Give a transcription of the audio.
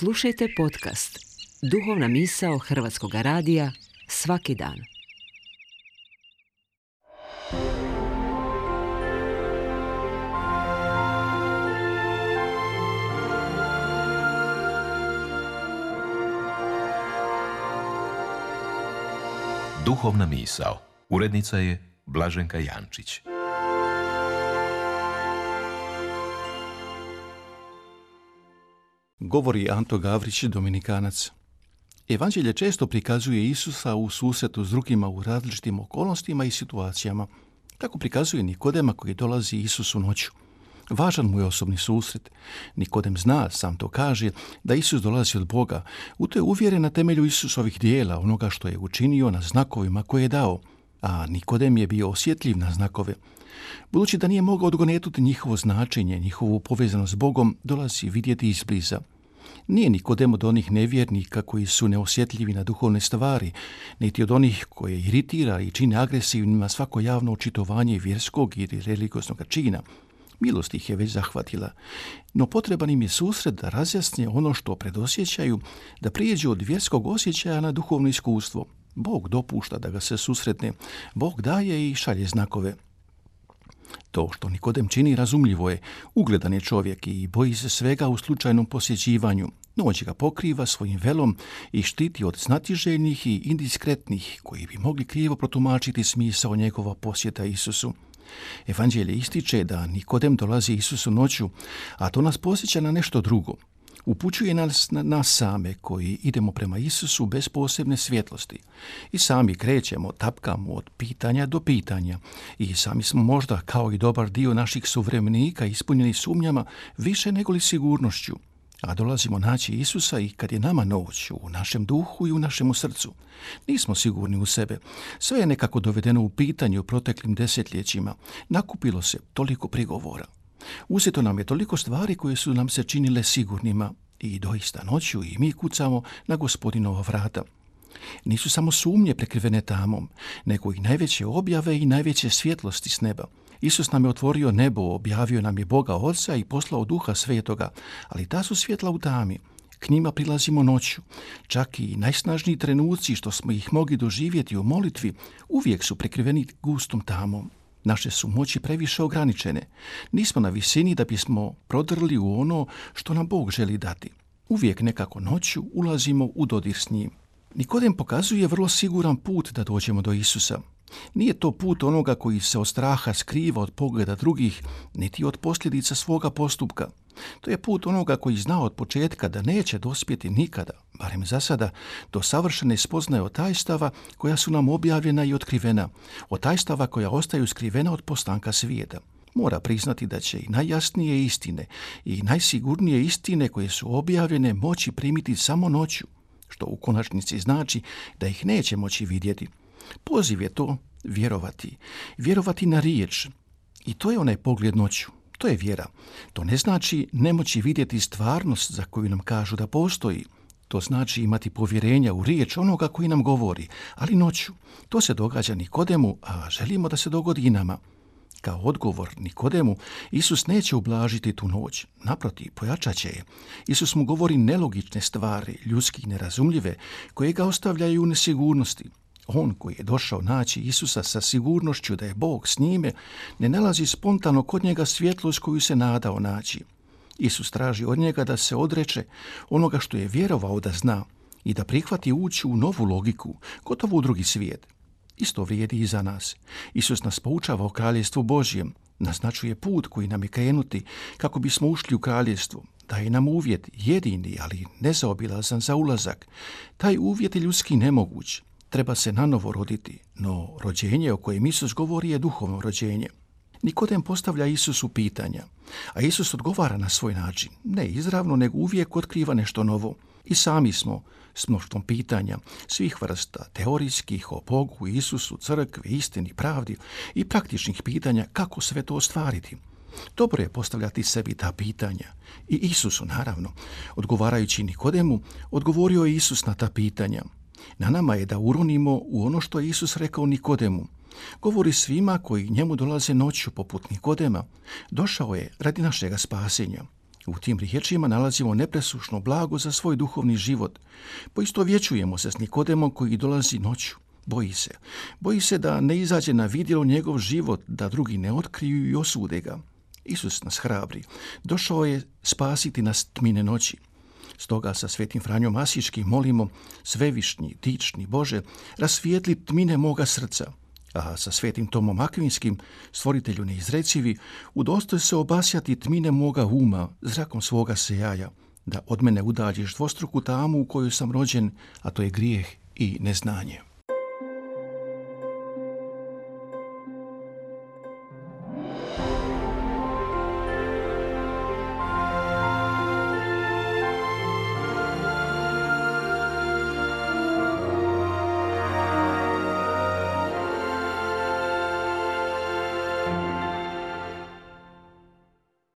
Slušajte podcast Duhovna misao Hrvatskog radija svaki dan. Duhovna misao. Urednica je Blaženka Jančić. Govori Anto Gavrić, Dominikanac. Evanđelje često prikazuje Isusa u susretu s drugima u različitim okolnostima i situacijama. Tako prikazuje Nikodema koji dolazi Isusu noću. Važan mu je osobni susret. Nikodem zna, sam to kaže, da Isus dolazi od Boga. U to je uvjeren na temelju Isusovih dijela, onoga što je učinio, na znakovima koje je dao. A Nikodem je bio osjetljiv na znakove. Budući da nije mogao odgonetnuti njihovo značenje, njihovu povezanost s Bogom, dolazi vidjeti izbliza. Nije Nikodem od onih nevjernika koji su neosjetljivi na duhovne stvari, niti od onih koje iritira i čine agresivnima svako javno očitovanje vjerskog ili religioznog čina. Milost ih je već zahvatila, no potreban im je susret da razjasne ono što predosjećaju, da prijeđu od vjerskog osjećaja na duhovno iskustvo. Bog dopušta da ga se susretne, Bog daje i šalje znakove. To što Nikodem čini razumljivo je, ugledan je čovjek i boji se svega u slučajnom posjećivanju. Noć ga pokriva svojim velom i štiti od znatiželjnih i indiskretnih koji bi mogli krivo protumačiti smisao njegova posjeta Isusu. Evanđelje ističe da Nikodem dolazi Isusu noću, a to nas podsjeća na nešto drugo. Upućuje nas na nas same koji idemo prema Isusu bez posebne svjetlosti. I sami krećemo, tapkamo od pitanja do pitanja. I sami smo možda, kao i dobar dio naših suvremenika, ispunjeni sumnjama više nego li sigurnošću. A dolazimo naći Isusa i kad je nama noć, u našem duhu i u našemu srcu. Nismo sigurni u sebe. Sve je nekako dovedeno u pitanje u proteklim desetljećima. Nakupilo se toliko prigovora. Uzeto nam je toliko stvari koje su nam se činile sigurnima i doista noću i mi kucamo na Gospodinova vrata. Nisu samo sumnje prekrivene tamom, nego i najveće objave i najveće svjetlosti s neba. Isus nam je otvorio nebo, objavio nam je Boga Oca i poslao Duha Svetoga, ali ta su svjetla u tami. K njima prilazimo noću. Čak i najsnažniji trenuci što smo ih mogli doživjeti u molitvi uvijek su prekriveni gustom tamom. Naše su moći previše ograničene. Nismo na visini da bismo prodrli u ono što nam Bog želi dati. Uvijek nekako noću ulazimo u dodir s njim. Nikodem pokazuje vrlo siguran put da dođemo do Isusa. Nije to put onoga koji se od straha skriva od pogleda drugih, niti od posljedica svoga postupka. To je put onoga koji zna od početka da neće dospjeti nikada, barem za sada, do savršene spoznaje od tajstava koja su nam objavljena i otkrivena, od tajstava koja ostaju skrivena od postanka svijeta. Mora priznati da će i najjasnije istine i najsigurnije istine koje su objavljene moći primiti samo noću, što u konačnici znači da ih neće moći vidjeti. Poziv je to vjerovati. Vjerovati na riječ. I to je onaj pogled noću. To je vjera. To ne znači nemoći vidjeti stvarnost za koju nam kažu da postoji. To znači imati povjerenja u riječ onoga koji nam govori, ali noću. To se događa Nikodemu, a želimo da se dogodi i nama. Kao odgovor Nikodemu, Isus neće ublažiti tu noć. Naprotiv, pojačat će je. Isus mu govori nelogične stvari, ljudski nerazumljive, koje ga ostavljaju u nesigurnosti. On koji je došao naći Isusa sa sigurnošću da je Bog s njime, ne nalazi spontano kod njega svjetlost koju se nadao naći. Isus traži od njega da se odreče onoga što je vjerovao da zna i da prihvati ući u novu logiku, gotovo u drugi svijet. Isto vrijedi i za nas. Isus nas poučava o kraljestvu Božjem, naznačuje put koji nam je krenuti kako bismo ušli u kraljestvo. Daje nam uvjet, jedini, ali nezaobilazan za ulazak. Taj uvjet je ljudski nemoguć. Treba se nanovo roditi, no rođenje o kojem Isus govori je duhovno rođenje. Nikodem postavlja Isusu pitanja, a Isus odgovara na svoj način. Ne izravno, nego uvijek otkriva nešto novo. I sami smo s mnoštvom pitanja, svih vrsta, teorijskih o Bogu, Isusu, crkvi, istini, pravdi i praktičnih pitanja kako sve to ostvariti. Dobro je postavljati sebi ta pitanja. I Isusu, naravno. Odgovarajući Nikodemu, odgovorio je Isus na ta pitanja. Na nama je da uronimo u ono što je Isus rekao Nikodemu. Govori svima koji njemu dolaze noću poput Nikodema. Došao je radi našega spasenja. U tim riječima nalazimo nepresušno blago za svoj duhovni život. Poistovjećujemo se s Nikodemom koji dolazi noću. Boji se da ne izađe na vidjelo njegov život, da drugi ne otkriju i osude ga. Isus nas hrabri. Došao je spasiti nas tmine noći. Stoga sa svetim Franjom Asiškim molimo: Svevišnji, dični Bože, rasvijetli tmine moga srca. A sa svetim Tomom Akvinskim, stvoritelju neizrecivi, udostoj se obasjati tmine moga uma zrakom svoga sejaja, da od mene udaljiš dvostruku tamu u kojoj sam rođen, a to je grijeh i neznanje.